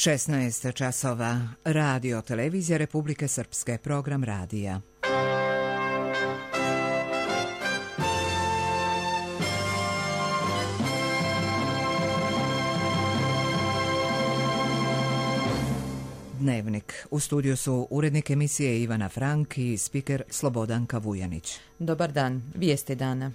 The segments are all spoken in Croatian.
16 časova. Radio televizija Republike Srpske, program radija. Dnevnik. U studiju su urednik emisije Ivana Frank i spiker Slobodanka Vujanić. Dobar dan. Vijesti dana.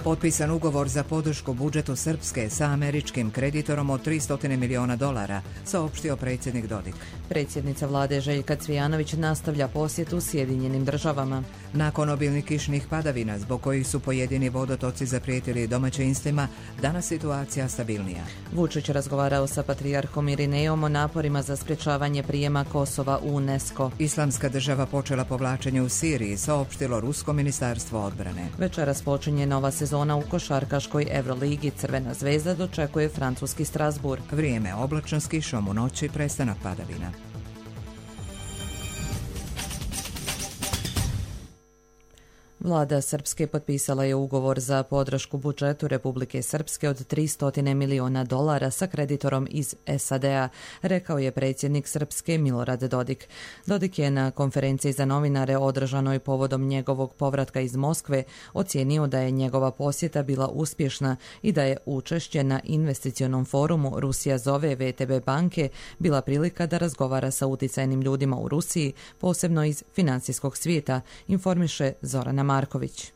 Potpisan ugovor za podršku budžetu Srpske sa američkim kreditorom od $300 miliona, saopštio predsjednik Dodik. Predsjednica vlade Željka Cvijanović nastavlja posjetu Sjedinjenim državama. Nakon obilnih kišnih padavina, zbog kojih su pojedini vodotoci zaprijetili domaćinstvima, danas situacija stabilnija. Vučić razgovarao sa patrijarhom Irinejom o naporima za sprječavanje prijema Kosova u UNESCO. Islamska država počela povlačenje u Siriji, saopštilo Rusko ministarstvo odbrane. Večeras počinje nova sezona u košarkaškoj Euroligi. Crvena zvezda dočekuje francuski Strasbourg. Vrijeme oblačno s kišom, u noći prestanak padavina. Vlada Srpske potpisala je ugovor za podršku budžetu Republike Srpske od $300 miliona sa kreditorom iz SAD-a, rekao je predsjednik Srpske Milorad Dodik. Dodik je na konferenciji za novinare održanoj povodom njegovog povratka iz Moskve ocijenio da je njegova posjeta bila uspješna i da je učešće na investicionom forumu Rusija zove VTB banke bila prilika da razgovara sa utjecajnim ljudima u Rusiji, posebno iz financijskog svijeta, informiše Zorana Marković.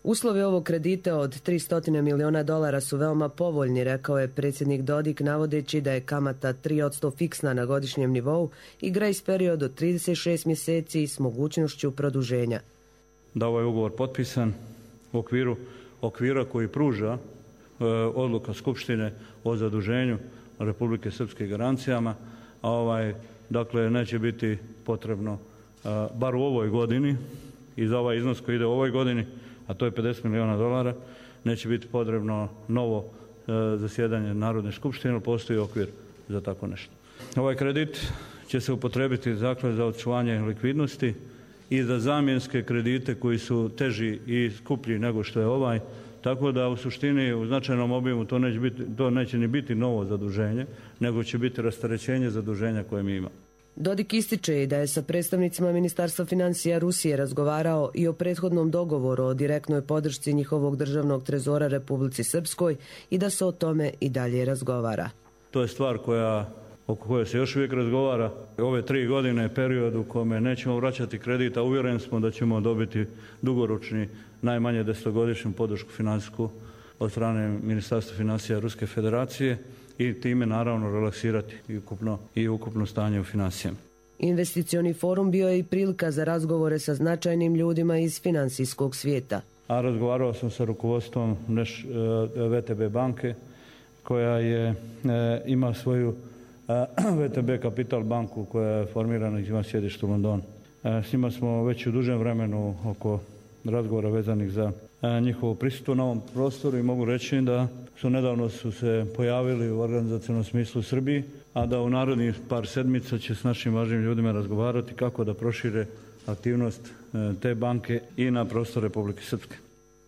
Uslovi ovog kredita od $300 miliona su veoma povoljni, rekao je predsjednik Dodik, navodeći da je kamata 3% fiksna na godišnjem nivou i grace period od 36 mjeseci s mogućnošću produženja. Da ovaj ugovor potpisan u okvira koji pruža odluka Skupštine o zaduženju Republike Srpske garancijama, dakle neće biti potrebno, bar u ovoj godini, i za ovaj iznos koji ide u ovoj godini, a to je $50 miliona, neće biti potrebno novo zasjedanje Narodne skupštine, ali postoji okvir za tako nešto. Ovaj kredit će se upotrebiti dakle za očuvanje likvidnosti i za zamjenske kredite koji su teži i skuplji nego što je ovaj, tako da u suštini u značajnom obimu to neće ni biti novo zaduženje, nego će biti rasterećenje zaduženja koje mi imamo. Dodik ističe i da je sa predstavnicima Ministarstva financija Rusije razgovarao i o prethodnom dogovoru o direktnoj podršci njihovog državnog trezora Republici Srpskoj i da se o tome i dalje razgovara. To je stvar oko koje se još uvijek razgovara. Ove 3 godine period u kome nećemo vraćati kredit, a uvjeren smo da ćemo dobiti dugoročni, najmanje 10-godišnju podršku financijsku od strane Ministarstva financija Ruske federacije i time naravno relaksirati i ukupno stanje u financijama. Investicioni forum bio je i prilika za razgovore sa značajnim ljudima iz financijskog svijeta. A razgovarao sam sa rukovodstvom VTB banke koja ima svoju VTB Capital banku koja je formirana i ima sjedište u Londonu. S njima smo već u dužem vremenu oko razgovora vezanih za njihovo prisustvo na ovom prostoru i mogu reći da nedavno su se pojavili u organizacionom smislu u Srbiji, a da u narednih par sedmica će s našim važnim ljudima razgovarati kako da prošire aktivnost te banke i na prostor Republike Srpske.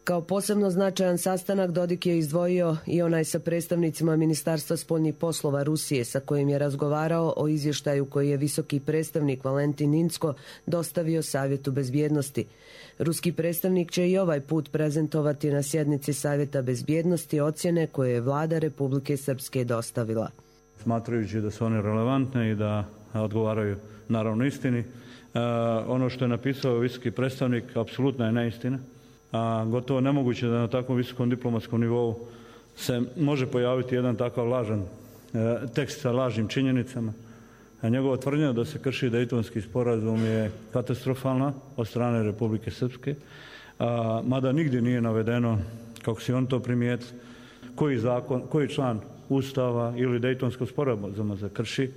Kao posebno značajan sastanak Dodik je izdvojio i onaj sa predstavnicima Ministarstva spoljnih poslova Rusije, sa kojim je razgovarao o izvještaju koji je visoki predstavnik Valentin Incko dostavio Savjetu bezbjednosti. Ruski predstavnik će i ovaj put prezentovati na sjednici Savjeta bezbjednosti ocjene koje je vlada Republike Srpske dostavila. Smatrajući da su one relevantne i da odgovaraju naravno istini, ono što je napisao visoki predstavnik apsolutna je neistina. Gotovo nemoguće da na takvom visokom diplomatskom nivou se može pojaviti jedan takav lažan tekst sa lažnim činjenicama. Njegova tvrdnja da se krši Dejtonski sporazum je katastrofalna od strane Republike Srpske, mada nigdje nije navedeno, kako si on to primijeti, koji član Ustava ili Dejtonskog sporazuma se krši.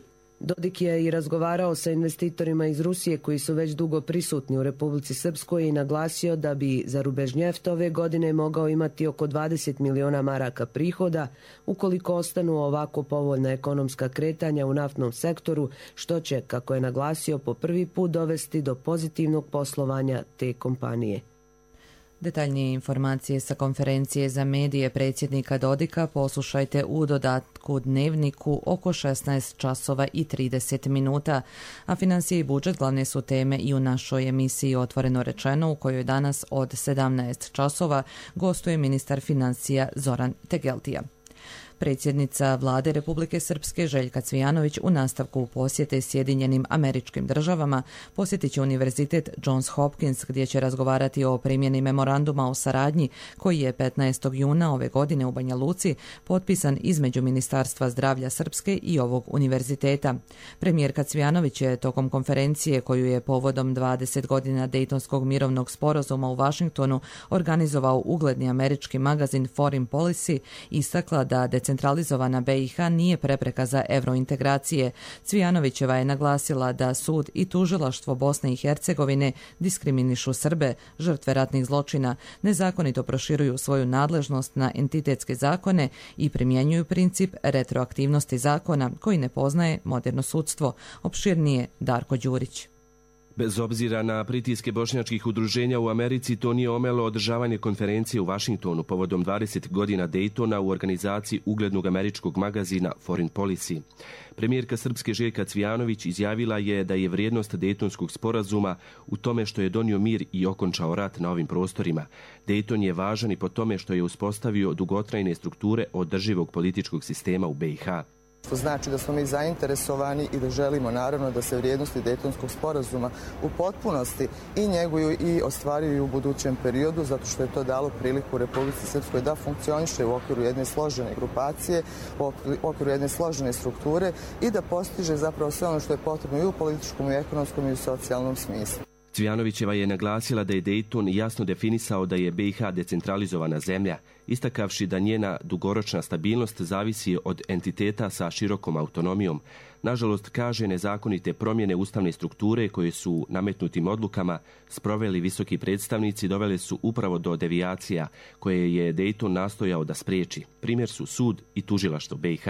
Dodik je i razgovarao sa investitorima iz Rusije koji su već dugo prisutni u Republici Srpskoj i naglasio da bi za Rubežnjeft ove godine mogao imati oko 20 miliona maraka prihoda ukoliko ostanu ovako povoljna ekonomska kretanja u naftnom sektoru, što će, kako je naglasio, po prvi put dovesti do pozitivnog poslovanja te kompanije. Detaljnije informacije sa konferencije za medije predsjednika Dodika poslušajte u dodatku Dnevniku oko 16 časova i 30 minuta, a financije i budžet glavne su teme i u našoj emisiji Otvoreno rečeno, u kojoj danas od 17 časova gostuje ministar financija Zoran Tegeltija. Predsjednica Vlade Republike Srpske Željka Cvijanović u nastavku posjete Sjedinjenim Američkim Državama posjetit će Univerzitet Johns Hopkins gdje će razgovarati o primjeni memoranduma o saradnji koji je 15. juna ove godine u Banja Luci potpisan između Ministarstva zdravlja Srpske i ovog univerziteta. Premijerka Cvijanović je tokom konferencije koju je povodom 20 godina Dejtonskog mirovnog sporazuma u Vašingtonu organizovao ugledni američki magazin Foreign Policy istakla da decentralizovana BiH nije prepreka za evrointegracije. Cvijanovićeva je naglasila da sud i tužilaštvo Bosne i Hercegovine diskriminišu Srbe, žrtve ratnih zločina, nezakonito proširuju svoju nadležnost na entitetske zakone i primjenjuju princip retroaktivnosti zakona koji ne poznaje moderno sudstvo. Opširnije Darko Đurić. Bez obzira na pritiske bošnjačkih udruženja u Americi, to nije omelo održavanje konferencije u Vašingtonu povodom 20 godina Dejtona u organizaciji uglednog američkog magazina Foreign Policy. Premijerka Srpske Željka Cvijanović izjavila je da je vrijednost Dejtonskog sporazuma u tome što je donio mir i okončao rat na ovim prostorima. Dejton je važan i po tome što je uspostavio dugotrajne strukture održivog političkog sistema u BiH. To znači da smo mi zainteresovani i da želimo naravno da se vrijednosti Dejtonskog sporazuma u potpunosti i njeguju i ostvaruju u budućem periodu, zato što je to dalo priliku Republici Srpskoj da funkcioniše u okviru jedne složene grupacije, u okviru jedne složene strukture i da postiže zapravo sve ono što je potrebno i u političkom, i u ekonomskom, i u socijalnom smislu. Cvijanovićeva je naglasila da je Dejton jasno definisao da je BiH decentralizovana zemlja, istakavši da njena dugoročna stabilnost zavisi od entiteta sa širokom autonomijom. Nažalost, kaže, nezakonite promjene ustavne strukture koje su nametnutim odlukama sproveli visoki predstavnici dovele su upravo do devijacija koje je Dejton nastojao da spriječi. Primjer su sud i tužilaštvo BiH.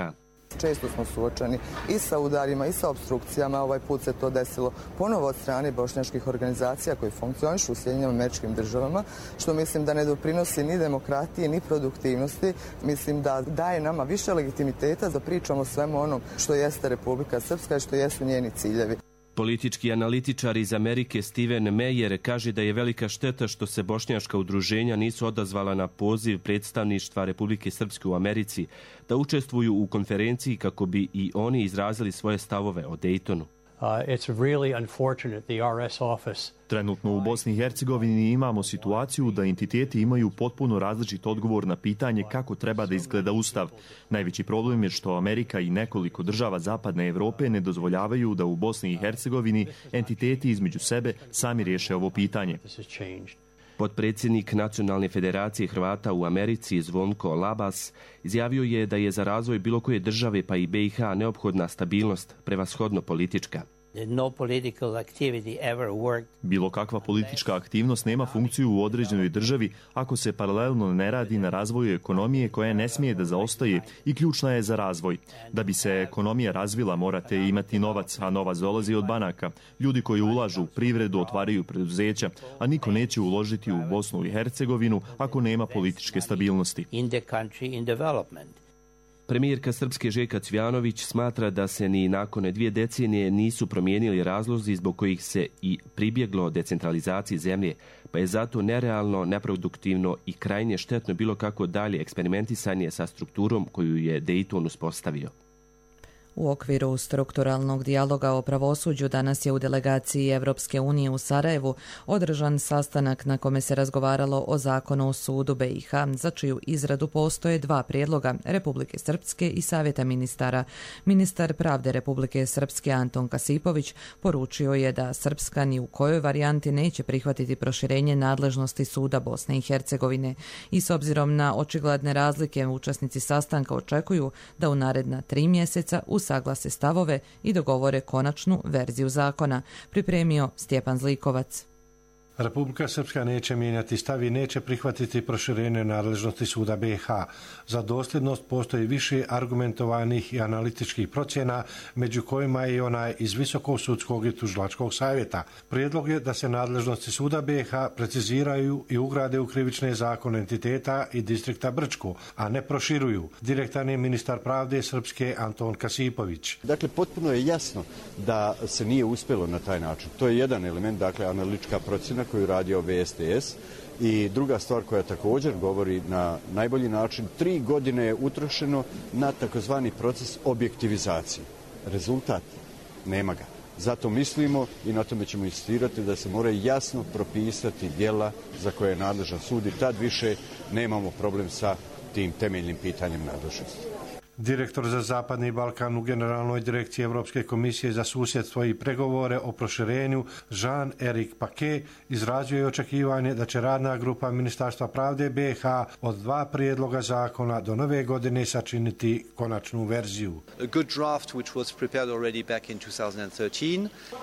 Često smo suočeni i sa udarima i sa opstrukcijama. Ovaj put se to desilo ponovo od strane bošnjačkih organizacija koji funkcionišu u Sjedinjenim Američkim Državama, što mislim da ne doprinosi ni demokratiji ni produktivnosti. Mislim da daje nama više legitimiteta da pričamo o svemu onom što jeste Republika Srpska i što jesu njeni ciljevi. Politički analitičar iz Amerike Steven Meyer kaže da je velika šteta što se bošnjačka udruženja nisu odazvala na poziv predstavništva Republike Srpske u Americi da učestvuju u konferenciji kako bi i oni izrazili svoje stavove o Dejtonu. Trenutno u Bosni i Hercegovini imamo situaciju da entiteti imaju potpuno različit odgovor na pitanje kako treba da izgleda ustav. Najveći problem je što Amerika i nekoliko država Zapadne Evrope ne dozvoljavaju da u Bosni i Hercegovini entiteti između sebe sami riješe ovo pitanje. Potpredsjednik Nacionalne federacije Hrvata u Americi Zvonko Labas izjavio je da je za razvoj bilo koje države pa i BiH neophodna stabilnost, prevashodno politička. Bilo kakva politička aktivnost nema funkciju u određenoj državi ako se paralelno ne radi na razvoju ekonomije koja ne smije da zaostaje i ključna je za razvoj. Da bi se ekonomija razvila morate imati novac, a novac dolazi od banaka. Ljudi koji ulažu u privredu otvaraju preduzeća, a niko neće uložiti u Bosnu i Hercegovinu ako nema političke stabilnosti. Premijerka Srpske Željka Cvijanović smatra da se ni nakon 2 decenije nisu promijenili razlozi zbog kojih se i pribjeglo decentralizaciji zemlje, pa je zato nerealno, neproduktivno i krajnje štetno bilo kako dalje eksperimentisanje sa strukturom koju je Dejton uspostavio. U okviru strukturalnog dijaloga o pravosuđu danas je u delegaciji Evropske unije u Sarajevu održan sastanak na kome se razgovaralo o zakonu o sudu BiH, za čiju izradu postoje 2 prijedloga Republike Srpske i Savjeta ministara. Ministar pravde Republike Srpske Anton Kasipović poručio je da Srpska ni u kojoj varijanti neće prihvatiti proširenje nadležnosti suda Bosne i Hercegovine i s obzirom na očigledne razlike učesnici sastanka očekuju da u naredna 3 mjeseca usaglase stavove i dogovore konačnu verziju zakona, pripremio Stjepan Zlikovac. Republika Srpska neće mijenjati stav i neće prihvatiti proširenje nadležnosti suda BiH. Za dosljednost postoji više argumentovanih i analitičkih procjena, među kojima je i onaj iz Visokog sudskog i tužilačkog savjeta. Prijedlog je da se nadležnosti suda BiH preciziraju i ugrade u krivične zakone entiteta i distrikta Brčko, a ne proširuju. Direktan je ministar pravde Srpske Anton Kasipović. Dakle, potpuno je jasno da se nije uspjelo na taj način. To je jedan element, dakle, analitička procjena koju radi VSTS. I druga stvar koja također govori na najbolji način, 3 godine je utrošeno na takozvani proces objektivizacije. Rezultat nema ga. Zato mislimo i na tome ćemo insistirati da se moraju jasno propisati djela za koje je nadležan sud i tad više nemamo problem sa tim temeljnim pitanjem nadležnosti. Direktor za Zapadni Balkan u Generalnoj direkciji Europske komisije za susjedstvo i pregovore o proširenju Jean-Éric Paquet izrazio je očekivanje da će radna grupa Ministarstva pravde BiH od 2 prijedloga zakona do nove godine sačiniti konačnu verziju.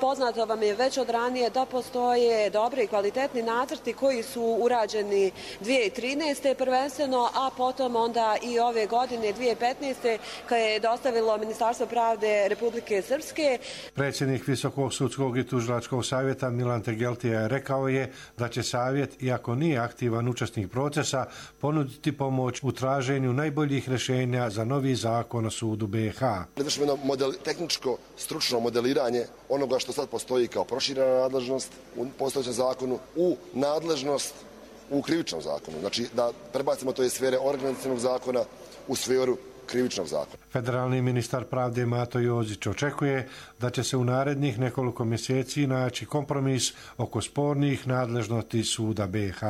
Poznato vam je već od ranije da postoje dobri i kvalitetni nacrti koji su urađeni 2013. prvenstveno, a potom onda i ove godine 2015. koje je dostavilo Ministarstvo pravde Republike Srpske. Predsjednik Visokog sudskog i tužilačkog savjeta Milan Tegeltija rekao je da će savjet, iako nije aktivan učesnik procesa, ponuditi pomoć u traženju najboljih rješenja za novi zakon o sudu BiH. Vršimo jedno tehničko, stručno modeliranje onoga što sad postoji kao proširena nadležnost u postojećem zakonu u nadležnost u krivičnom zakonu. Znači da prebacimo to iz sfere organizacionog zakona u sferu krivičnog zakona. Federalni ministar pravde Mato Jozić očekuje da će se u narednih nekoliko mjeseci naći kompromis oko spornih nadležnosti suda BiH.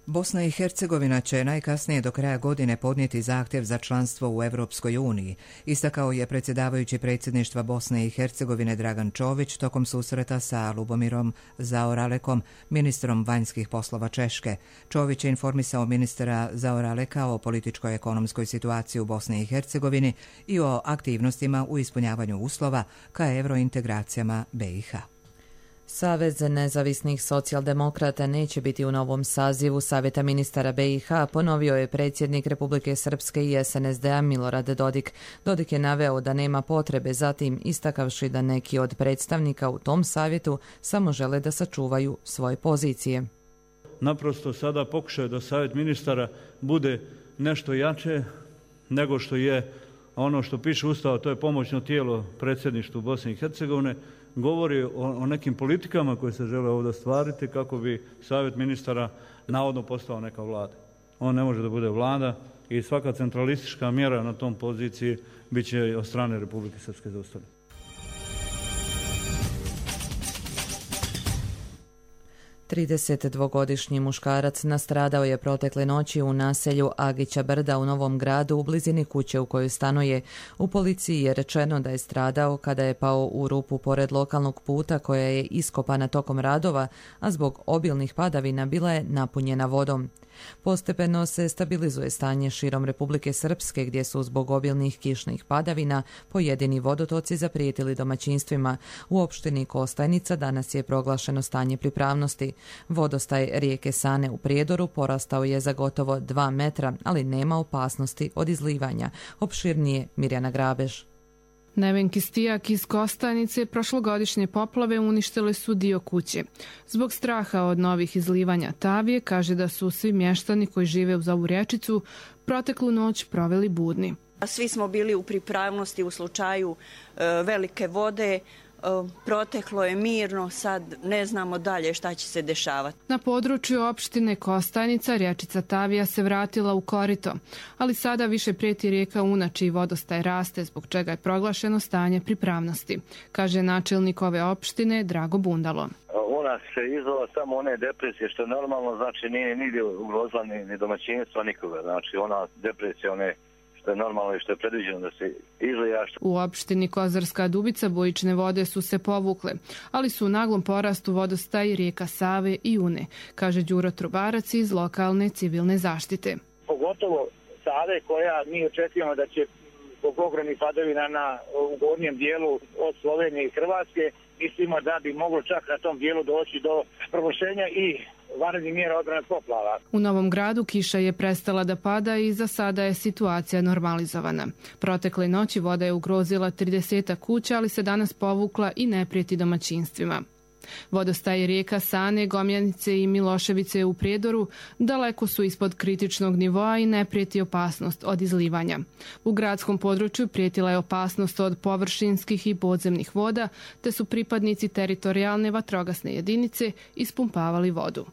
Bosna i Hercegovina će najkasnije do kraja godine podnijeti zahtjev za članstvo u Europskoj uniji, istakao je predsjedavajući predsjedništva Bosne i Hercegovine Dragan Čović tokom susreta sa Lubomirom Zaoralekom, ministrom vanjskih poslova Češke. Čović je informisao ministra Zaoraleka o političko-ekonomskoj situaciji u Bosni i Hercegovini i o aktivnostima u ispunjavanju uslova ka eurointegracijama BiH. Savez nezavisnih socijaldemokrata neće biti u novom sazivu Savjeta ministara BiH, ponovio je predsjednik Republike Srpske i SNSD-a Milorad Dodik. Dodik je naveo da nema potrebe, zatim istakavši da neki od predstavnika u tom savjetu samo žele da sačuvaju svoje pozicije. Naprosto sada pokušaju da Savjet ministara bude nešto jače nego što je ono što piše Ustava, to je pomoćno tijelo predsjedništvu Bosne i Hercegovine, govori o nekim politikama koje se žele ovdje stvariti kako bi Savjet ministara navodno postao neka vlada. On ne može da bude vlada i svaka centralistička mjera na tom poziciji bit će od strane Republike Srpske zaustavljena. Tridesetdvogodišnji muškarac nastradao je protekle noći u naselju Agića Brda u Novom Gradu u blizini kuće u kojoj stanuje. U policiji je rečeno da je stradao kada je pao u rupu pored lokalnog puta koja je iskopana tokom radova, a zbog obilnih padavina bila je napunjena vodom. Postepeno se stabilizuje stanje širom Republike Srpske gdje su zbog obilnih kišnih padavina pojedini vodotoci zaprijetili domaćinstvima. U opštini Kostajnica danas je proglašeno stanje pripravnosti. Vodostaj rijeke Sane u Prijedoru porastao je za gotovo 2 metra, ali nema opasnosti od izlivanja. Opširnije Mirjana Grabež. Nevenki Stijak iz Kostajnice prošlogodišnje poplave uništile su dio kuće. Zbog straha od novih izlivanja Tavije kaže da su svi mještani koji žive uz ovu rječicu proteklu noć proveli budni. Svi smo bili u pripravnosti u slučaju velike vode. Proteklo je mirno, sad ne znamo dalje šta će se dešavati. Na području opštine Kostajnica rječica Tavija se vratila u korito, ali sada više prijeti rijeka Una čiji vodostaj raste, zbog čega je proglašeno stanje pripravnosti, kaže načelnik ove opštine Drago Bundalo. Una se izvala samo one depresije što je normalno, znači nije nigdje ugrozila ni domaćinstva nikoga, znači ona depresija one što je normalno i što je predviđeno da se izlija. U opštini Kozarska Dubica bujične vode su se povukle, ali su u naglom porastu vodostaj rijeka Save i Une, kaže Đuro Trubarac iz lokalne civilne zaštite. Pogotovo Save koja mi očekujemo da će zbog ogromnih padavina u gornjem dijelu od Slovenije i Hrvatske mislimo da bi moglo čak na tom dijelu doći do proglašenja i vanrednih mjera odbrane poplava. U Novom Gradu kiša je prestala da pada i za sada je situacija normalizovana. Protekle noći voda je ugrozila 30 kuća, ali se danas povukla i ne prijeti domaćinstvima. Vodostaje rijeka Sane, Gomjanice i Miloševice u Prijedoru daleko su ispod kritičnog nivoa i ne prijeti opasnost od izlivanja. U gradskom području prijetila je opasnost od površinskih i podzemnih voda, te su pripadnici teritorijalne vatrogasne jedinice ispumpavali vodu.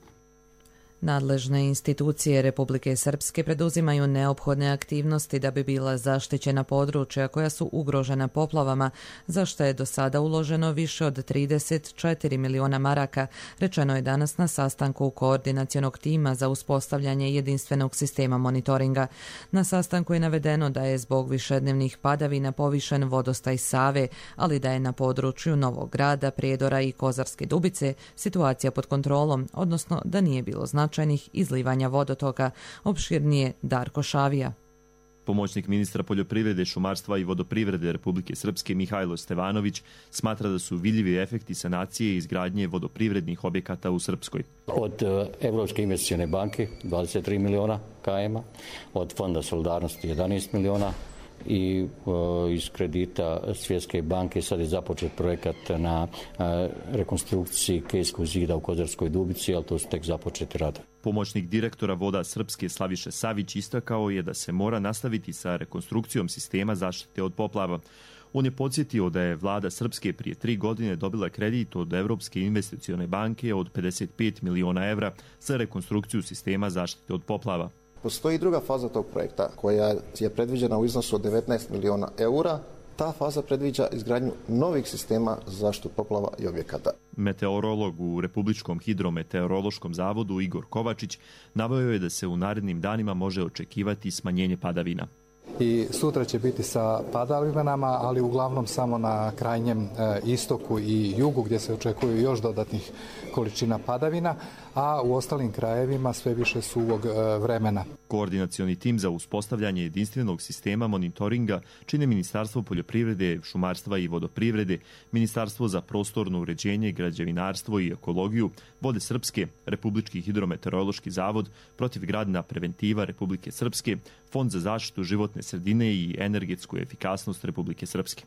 Nadležne institucije Republike Srpske preduzimaju neophodne aktivnosti da bi bila zaštićena područja koja su ugrožena poplavama, za što je do sada uloženo više od 34 miliona maraka, rečeno je danas na sastanku koordinacionog tima za uspostavljanje jedinstvenog sistema monitoringa. Na sastanku je navedeno da je zbog višednevnih padavina povišen vodostaj Save, ali da je na području Novog Grada, Prijedora i Kozarske Dubice situacija pod kontrolom, odnosno da nije bilo značajnih izlivanja vodotoka. Opširnije Darko Šavija. Pomoćnik ministra poljoprivrede, šumarstva i vodoprivrede Republike Srpske Mihajlo Stevanović smatra da su vidljivi efekti sanacije i izgradnje vodoprivrednih objekata u Srpskoj. Od Evropske investicione banke 23 miliona km, od Fonda solidarnosti 11 miliona i iz kredita Svjetske banke sad je započet projekat na rekonstrukciji Kejskog zida u Kozarskoj Dubici, ali to su tek započeti rad. Pomoćnik direktora Voda Srpske Slaviše Savić istakao je da se mora nastaviti sa rekonstrukcijom sistema zaštite od poplava. On je podsjetio da je vlada Srpske prije 3 godine dobila kredit od Evropske investicione banke od 55 miliona evra za rekonstrukciju sistema zaštite od poplava. Postoji i druga faza tog projekta koja je predviđena u iznosu od 19 miliona eura. Ta faza predviđa izgradnju novih sistema za zaštitu poplava i objekata. Meteorolog u Republičkom hidrometeorološkom zavodu Igor Kovačić naveo je da se u narednim danima može očekivati smanjenje padavina. I sutra će biti sa padavinama, ali uglavnom samo na krajnjem istoku i jugu gdje se očekuju još dodatnih količina padavina, a u ostalim krajevima sve više suvog vremena. Koordinacioni tim za uspostavljanje jedinstvenog sistema monitoringa čine Ministarstvo poljoprivrede, šumarstva i vodoprivrede, Ministarstvo za prostorno uređenje, građevinarstvo i ekologiju, Vode Srpske, Republički hidrometeorološki zavod, protivgradna preventiva Republike Srpske, Fond za zaštitu životne sredine i energetsku efikasnost Republike Srpske.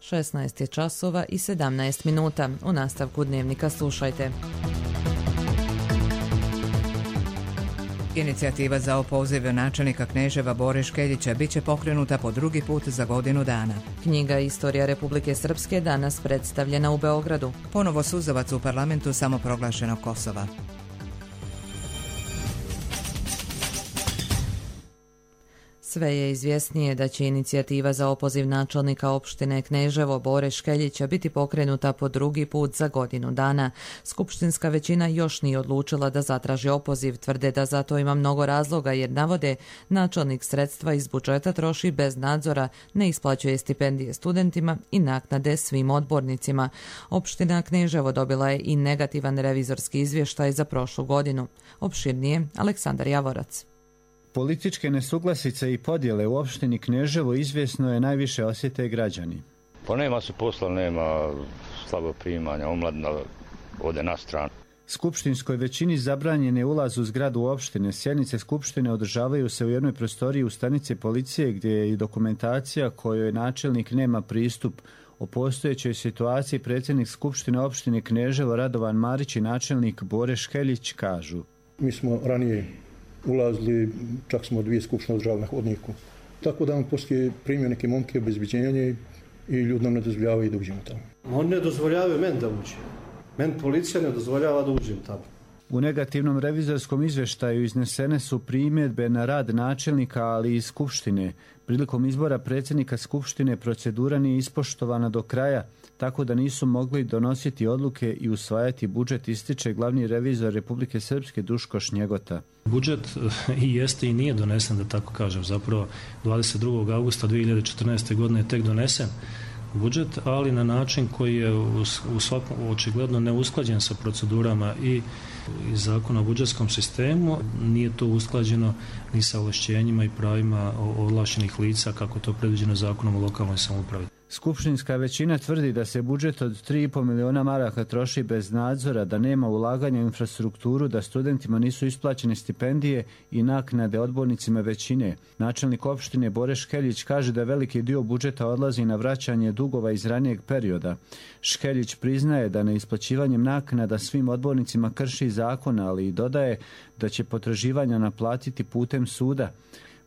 16 je časova i 17 minuta. U nastavku dnevnika slušajte. Inicijativa za opoziv načelnika Kneževa Bore Škeljića biće pokrenuta po drugi put za godinu dana. Knjiga Istorija Republike Srpske danas predstavljena u Beogradu. Ponovo suzavac u parlamentu samoproglašenog Kosova. Sve je izvjesnije da će inicijativa za opoziv načelnika opštine Kneževo Bore Škeljića biti pokrenuta po drugi put za godinu dana. Skupštinska većina još nije odlučila da zatraži opoziv, tvrde da za to ima mnogo razloga jer navode načelnik sredstva iz budžeta troši bez nadzora, ne isplaćuje stipendije studentima i naknade svim odbornicima. Opština Kneževo dobila je i negativan revizorski izvještaj za prošlu godinu. Opširnije Aleksandar Javorac. Političke nesuglasice i podjele u opštini Kneževo izvjesno je najviše osjete građani. Pa nema se posla, nema slabo primanja, omladina ode na stranu. Skupštinskoj većini zabranjen je ulaz u zgradu opštine. Sjednice skupštine održavaju se u jednoj prostoriji u stanici policije gdje je i dokumentacija kojoj načelnik nema pristup. O postojećoj situaciji predsjednik Skupštine opštine Kneževo Radovan Marić i načelnik Bore Škeljić kažu. Mi smo ranije ulazili, čak smo 2 skupštine održavali na hodniku. Tako da on poslije primio neke momke obezbeđenje i ljudi nam ne dozvoljavaju da uđemo tamo. On ne dozvoljavaju meni da uđem. Meni policija ne dozvoljava da uđem tamo. U negativnom revizorskom izvještaju iznesene su primjedbe na rad načelnika, ali i Skupštine. Prilikom izbora predsjednika Skupštine procedura nije ispoštovana do kraja, tako da nisu mogli donositi odluke i usvajati budžet, ističe glavni revizor Republike Srpske Duško Šnjegota. Budžet i jeste i nije donesen, da tako kažem. Zapravo 22. augusta 2014. godine je tek donesen budžet, ali na način koji je u svakom očigledno neusklađen sa procedurama i zakona o budžetskom sistemu. Nije to usklađeno ni sa ovlašćenjima i pravima ovlašćenih lica kako to predviđeno zakonom o lokalnoj samoupravi. Skupštinska većina tvrdi da se budžet od 3,5 miliona maraka troši bez nadzora, da nema ulaganja u infrastrukturu, da studentima nisu isplaćene stipendije i naknade odbornicima većine. Načelnik opštine Bore Škeljić kaže da veliki dio budžeta odlazi na vraćanje dugova iz ranijeg perioda. Škeljić priznaje da neisplaćivanjem naknada svim odbornicima krši zakon, ali i dodaje da će potraživanja naplatiti putem suda.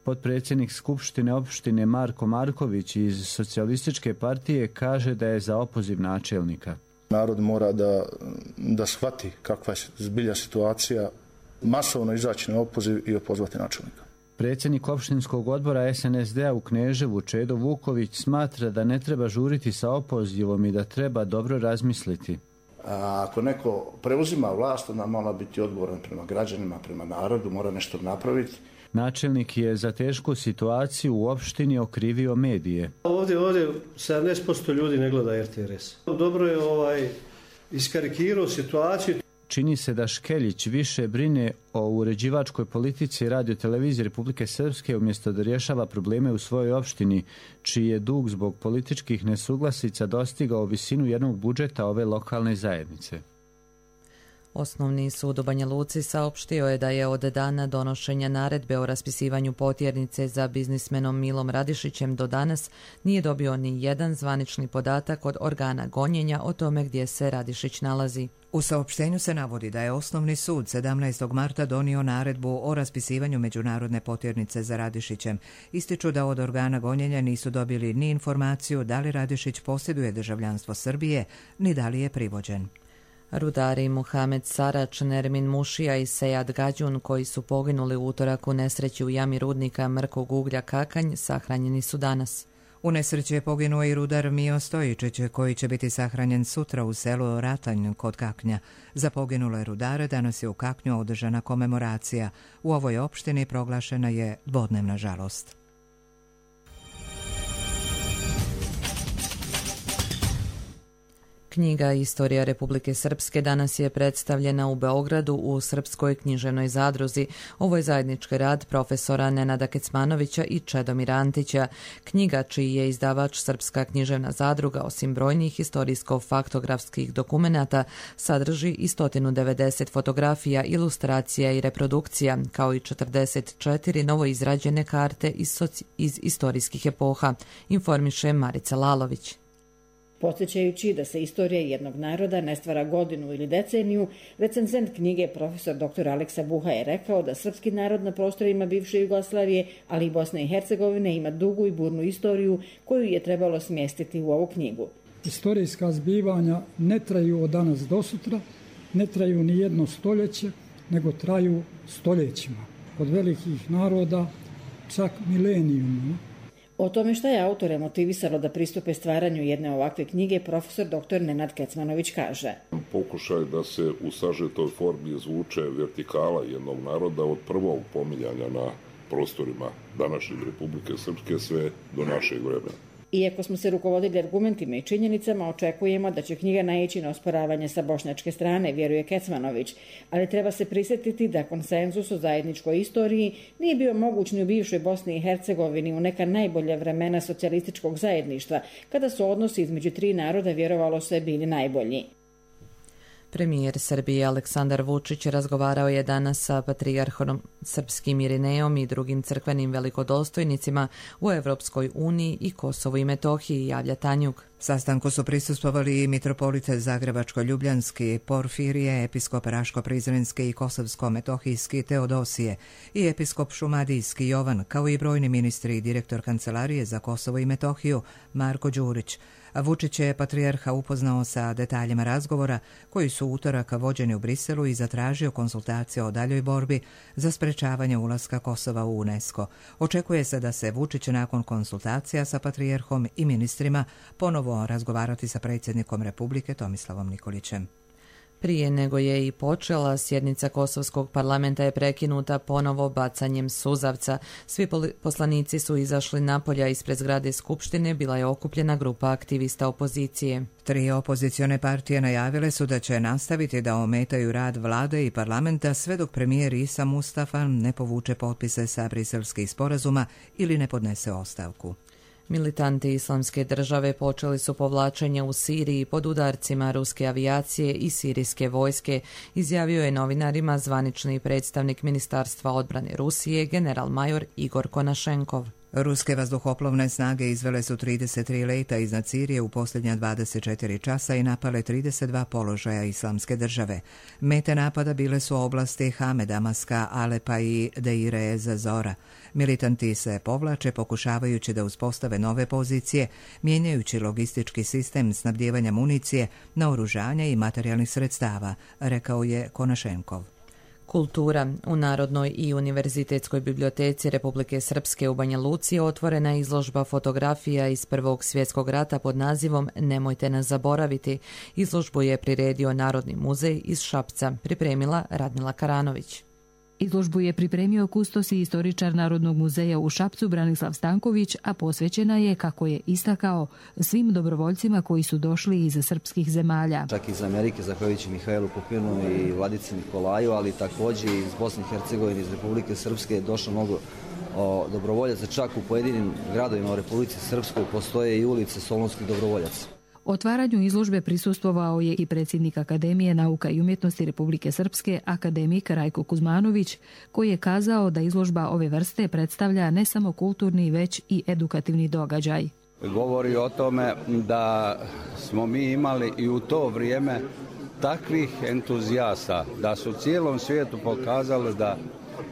Potpredsjednik Skupštine opštine Marko Marković iz Socijalističke partije kaže da je za opoziv načelnika. Narod mora da shvati kakva je zbilja situacija, masovno izaći na opoziv i opozvati načelnika. Predsjednik opštinskog odbora SNSD-a u Kneževu Čedo Vuković smatra da ne treba žuriti sa opozivom i da treba dobro razmisliti. Ako neko preuzima vlast, onda mora biti odgovoran prema građanima, prema narodu, mora nešto napraviti. Načelnik je za tešku situaciju u opštini okrivio medije. Ovdje 70% ljudi ne gleda RTS. Dobro je iskarikirao situaciju. Čini se da Škeljić više brine o uređivačkoj politici Radio-televizije Republike Srpske umjesto da rješava probleme u svojoj opštini, čiji je dug zbog političkih nesuglasica dostigao visinu jednog budžeta ove lokalne zajednice. Osnovni sud u Banja Luci saopštio je da je od dana donošenja naredbe o raspisivanju potjernice za biznismenom Milom Radišićem do danas nije dobio ni jedan zvanični podatak od organa gonjenja o tome gdje se Radišić nalazi. U saopštenju se navodi da je Osnovni sud 17. marta donio naredbu o raspisivanju međunarodne potjernice za Radišićem. Ističu da od organa gonjenja nisu dobili ni informaciju da li Radišić posjeduje državljanstvo Srbije, ni da li je privođen. Rudari Muhamed Sarač, Nermin Mušija i Sejad Gađun, koji su poginuli u utorak u nesreći u jami rudnika mrkog uglja Kakanj, sahranjeni su danas. U nesreći je poginuo i rudar Mio Stojičić, koji će biti sahranjen sutra u selu Ratanj kod Kaknja. Za poginule rudare danas je u Kaknju održana komemoracija. U ovoj opštini proglašena je dvodnevna žalost. Knjiga Istorija Republike Srpske danas je predstavljena u Beogradu u Srpskoj književnoj zadruzi. Ovo je zajednički rad profesora Nenada Kecmanovića i Čedomira Antića. Knjiga, čiji je izdavač Srpska književna zadruga, osim brojnih istorijsko-faktografskih dokumenata, sadrži i 190 fotografija, ilustracija i reprodukcija, kao i 44 novoizrađene karte iz istorijskih epoha, informiše Marica Lalović. Podsjećajući da se istorija jednog naroda ne stvara godinu ili deceniju, recenzent knjige profesor dr. Aleksa Buha je rekao da srpski narod na prostorima bivše Jugoslavije, ali i Bosne i Hercegovine, ima dugu i burnu istoriju koju je trebalo smjestiti u ovu knjigu. Istorijska zbivanja ne traju od danas do sutra, ne traju ni jedno stoljeće, nego traju stoljećima. Kod velikih naroda čak milenijum. O tome šta je autore motivisalo da pristupe stvaranju jedne ovakve knjige, profesor dr. Nenad Kecmanović kaže. Pokušaj da se u sažetoj formi izvuče vertikala jednog naroda od prvog pominjanja na prostorima današnje Republike Srpske sve do našeg vremena. Iako smo se rukovodili argumentima i činjenicama, očekujemo da će knjiga naići na osporavanje sa bošnjačke strane, vjeruje Kecmanović, ali treba se prisjetiti da konsenzus o zajedničkoj istoriji nije bio moguć ni u bivšoj Bosni i Hercegovini u neka najbolja vremena socijalističkog zajedništva, kada su odnosi između tri naroda, vjerovalo se, bili najbolji. Premijer Srbije Aleksandar Vučić razgovarao je danas sa patrijarhom srpskim Irinejom i drugim crkvenim velikodostojnicima u Evropskoj uniji i Kosovu i Metohiji, javlja Tanjug. Sastanku su prisustvovali i mitropolite Zagrebačko-Ljubljanski, Porfirije, episkop Raško-Prizrenski i Kosovsko-Metohijski Teodosije i episkop Šumadijski Jovan, kao i brojni ministri i direktor Kancelarije za Kosovo i Metohiju Marko Đurić. Vučić je patrijarha upoznao sa detaljima razgovora koji su utorak vođeni u Briselu i zatražio konsultacije o daljoj borbi za sprečavanje ulaska Kosova u UNESCO. Očekuje se da se Vučić nakon konsultacija sa patrijarhom i ministrima ponovo razgovarati sa predsjednikom Republike Tomislavom Nikolićem. Prije nego je i počela, sjednica Kosovskog parlamenta je prekinuta ponovo bacanjem suzavca. Svi poslanici su izašli napolja ispred zgrade Skupštine, bila je okupljena grupa aktivista opozicije. 3 opozicione partije najavile su da će nastaviti da ometaju rad vlade i parlamenta sve dok premijer Isa Mustafa ne povuče potpise sa briselskih sporazuma ili ne podnese ostavku. Militanti Islamske države počeli su povlačenje u Siriji pod udarcima ruske avijacije i sirijske vojske, izjavio je novinarima zvanični predstavnik Ministarstva odbrane Rusije, general-major Igor Konašenkov. Ruske vazduhoplovne snage izvele su 33 leta iznad Sirije u posljednja 24 časa i napale 32 položaja Islamske države. Mete napada bile su oblasti Hame, Damaska, Alepa i Deire ez Zora. Militanti se povlače pokušavajući da uspostave nove pozicije, mijenjajući logistički sistem snabdijevanja municije, naoružanja i materijalnih sredstava, rekao je Konašenkov. Kultura. U Narodnoj i Univerzitetskoj biblioteci Republike Srpske u Banja Luci otvorena je izložba fotografija iz Prvog svjetskog rata pod nazivom Nemojte nas zaboraviti. Izložbu je priredio Narodni muzej iz Šapca, pripremila Radmila Karanović. Izložbu je pripremio kustos i istoričar Narodnog muzeja u Šapcu Branislav Stanković, a posvećena je, kako je istakao, svim dobrovoljcima koji su došli iz srpskih zemalja. Čak iz Amerike, zahvaljujući Mihajlu Pupinu i Vladici Nikolaju, ali također iz Bosne i Hercegovine, iz Republike Srpske je došlo mnogo dobrovoljaca. Čak u pojedinim gradovima u Republici Srpskoj postoje i ulice solunskih dobrovoljaca. Otvaranju izložbe prisustvovao je i predsjednik Akademije nauka i umjetnosti Republike Srpske, akademik Rajko Kuzmanović, koji je kazao da izložba ove vrste predstavlja ne samo kulturni, već i edukativni događaj. Govori o tome da smo mi imali i u to vrijeme takvih entuzijasta, da su cijelom svijetu pokazali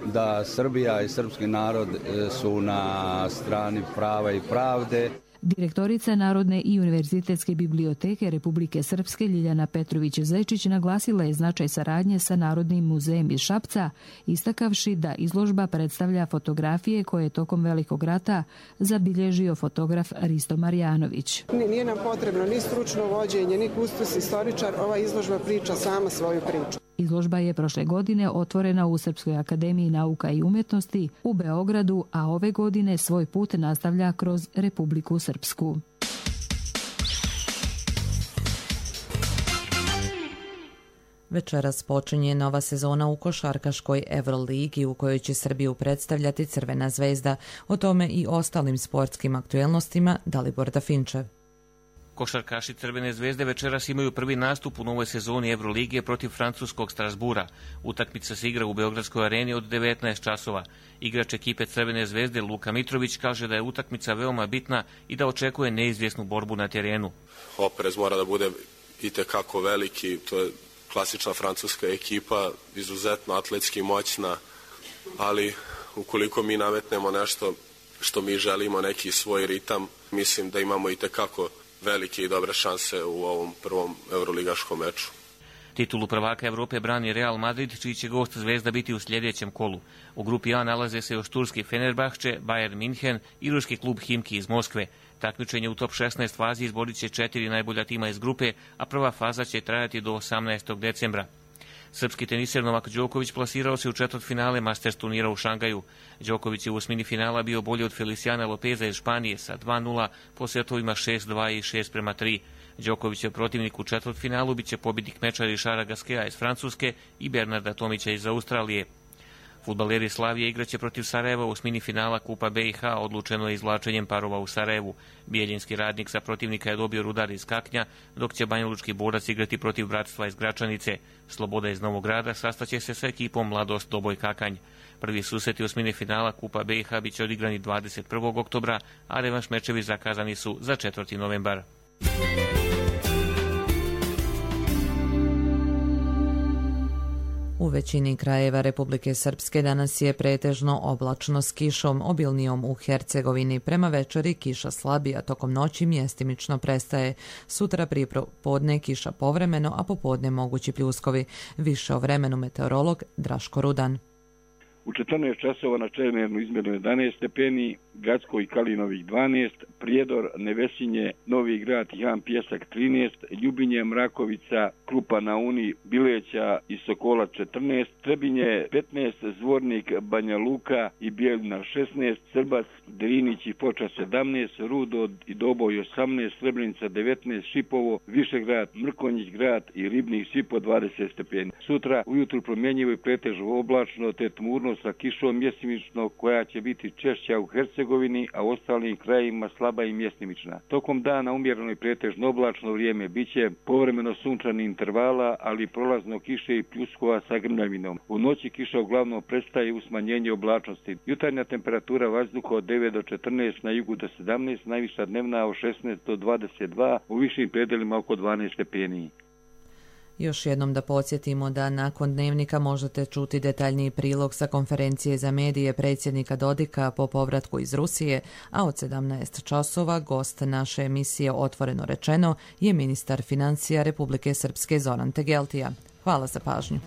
da Srbija i srpski narod su na strani prava i pravde. Direktorica Narodne i Univerzitetske biblioteke Republike Srpske Ljiljana Petrović-Zečić naglasila je značaj saradnje sa Narodnim muzejem iz Šapca, istakavši da izložba predstavlja fotografije koje je tokom Velikog rata zabilježio fotograf Risto Marjanović. Nije nam potrebno ni stručno vođenje, ni kustos istoričar, ova izložba priča sama svoju priču. Izložba je prošle godine otvorena u Srpskoj akademiji nauka i umjetnosti u Beogradu, a ove godine svoj put nastavlja kroz Republiku Srpsku. Večeras počinje nova sezona u košarkaškoj Euroligi u kojoj će Srbiju predstavljati Crvena zvezda. O tome i ostalim sportskim aktuelnostima Dalibor Dafinčev. Košarkaši Crvene zvezde večeras imaju prvi nastup u novoj sezoni Evrolige protiv francuskog Strasbura. Utakmica se igra u Beogradskoj areni od 19 časova. Igrač ekipe Crvene zvezde Luka Mitrović kaže da je utakmica veoma bitna i da očekuje neizvjesnu borbu na terenu. Oprez mora da bude itekako veliki, to je klasična francuska ekipa, izuzetno atletski moćna, ali ukoliko mi nametnemo nešto što mi želimo, neki svoj ritam, mislim da imamo itekako velike i dobre šanse u ovom prvom euroligaškom meču. Titulu prvaka Evrope brani Real Madrid, čiji će gost Zvezda biti u sljedećem kolu. U grupi A nalaze se još turski Fenerbahče, Bayern München i ruski klub Himki iz Moskve. Takmičenje u top 16 fazi izborit će 4 najbolja tima iz grupe, a prva faza će trajati do 18. decembra. Srpski teniser Novak Đoković plasirao se u četvrtfinale Masters turnira u Šangaju. Đoković je u osmini finala bio bolji od Feliciana Lopeza iz Španije sa 2:0 po setovima 6:2 i 6:3. Đokovićev protivnik u četvrtfinalu biće pobjednik meča Rišara Gaskea iz Francuske i Bernarda Tomića iz Australije. Fudbaleri Slavije igraće protiv Sarajeva u osmini finala Kupa BiH, odlučeno je izvlačenjem parova u Sarajevu. Bijeljinski Radnik sa protivnika je dobio Rudar iz Kaknja, dok će Banjalučki Borac igrati protiv Bratstva iz Gračanice. Sloboda iz Novog Grada sastaće se sa ekipom Mladost Doboj Kakanj. Prvi susreti osmine finala Kupa BiH biće odigrani 21. oktobra, a revanš mečevi zakazani su za 4. novembar. U većini krajeva Republike Srpske danas je pretežno oblačno s kišom, obilnijom u Hercegovini. Prema večeri kiša slabi, a tokom noći mjestimično prestaje. Sutra prije podne kiša povremeno, a popodne mogući pljuskovi. Više o vremenu meteorolog Draško Rudan. U 14 časova na Čemernu izmjereno 11 stepeni, Gacko i Kalinovih 12, Prijedor, Nevesinje, Novi Grad i Han Pjesak 13, Ljubinje, Mrakovica, Krupa na Uni, Bileća i Sokola 14, Trebinje 15, Zvornik, Banja Luka i Bijeljina 16, Srbac, Drinić i Foča 17, Rudo i Doboj 18, Srebrenica 19, Šipovo, Višegrad, Mrkonjić grad i Ribnik svi po 20 stepeni. Sutra ujutru promjenjivo i pretežno oblačno te tmurno sa kišom mjesimično koja će biti češća u Hercegovini, a u ostalim krajevima slaba i mjesimična. Tokom dana umjereno i pretežno oblačno vrijeme, biće povremeno sunčani intervala, ali prolazno kiše i pljuskova sa grmljavinom. U noći kiša uglavnom prestaje u smanjenje oblačnosti. Jutarnja temperatura vazduha od 9 do 14, na jugu do 17, najviša dnevna od 16 do 22, u višim predelima oko 12 stepeni. Još jednom da podsjetimo da nakon dnevnika možete čuti detaljniji prilog sa konferencije za medije predsjednika Dodika po povratku iz Rusije, a od 17 časova gost naše emisije Otvoreno rečeno je ministar financija Republike Srpske Zoran Tegeltija. Hvala za pažnju.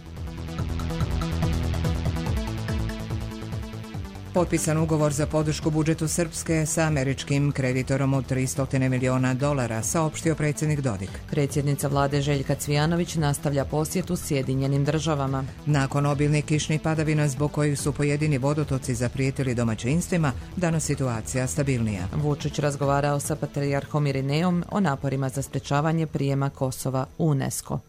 Potpisan ugovor za podršku budžetu Srpske sa američkim kreditorom od $300 miliona, saopštio predsjednik Dodik. Predsjednica vlade Željka Cvijanović nastavlja posjetu Sjedinjenim državama. Nakon obilnih kišnih padavina zbog kojih su pojedini vodotoci zaprijetili domaćinstvima, danas situacija stabilnija. Vučić razgovarao sa patrijarhom Irineom o naporima za sprečavanje prijema Kosova u UNESCO.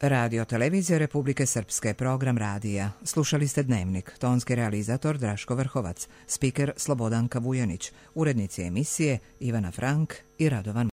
Radio Televizija Republike Srpske, program radija. Slušali ste Dnevnik, tonski realizator Draško Vrhovac, spiker Slobodanka Vujanić, urednici emisije Ivana Frank i Radovan